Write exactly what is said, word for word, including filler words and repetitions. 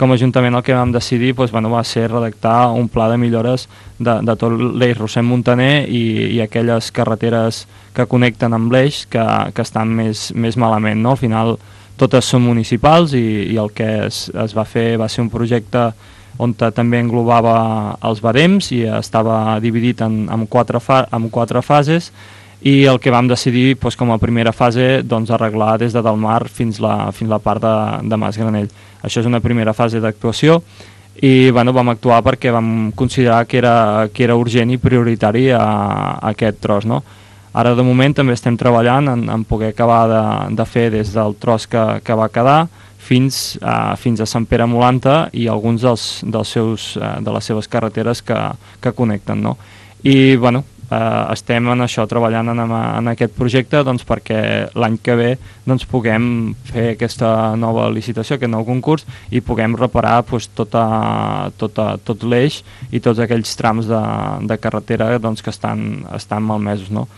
com a Ajuntament el que vam decidir doncs, bueno, va ser redactar un pla de millores de, de tot l'eix Rossell-Montaner i, i aquelles carreteres que connecten amb l'eix que, que estan més, més malament, no? Al final totes són municipals i, i el que es, es va fer va ser un projecte on també englobava els barems i estava dividit en, en, quatre, fa, en quatre fases, i el que vam decidir doncs, com a primera fase doncs, arreglar des de Delmar fins la, fins la part de, de Mas Granell. Això és una primera fase d'actuació i bueno, vam actuar perquè vam considerar que era, que era urgent i prioritari a, a aquest tros, no? Ara de moment també estem treballant en, en poder acabar de, de fer des del tros que, que va quedar fins a, fins a Sant Pere Molanta i alguns dels, dels seus, de les seves carreteres que, que connecten, no? I bueno, eh, estem en això treballant en, en aquest projecte doncs, perquè l'any que ve doncs, puguem fer aquesta nova licitació, aquest nou concurs i puguem reparar doncs, tota, tota, tot l'eix i tots aquells trams de, de carretera doncs, que estan, estan malmesos, no?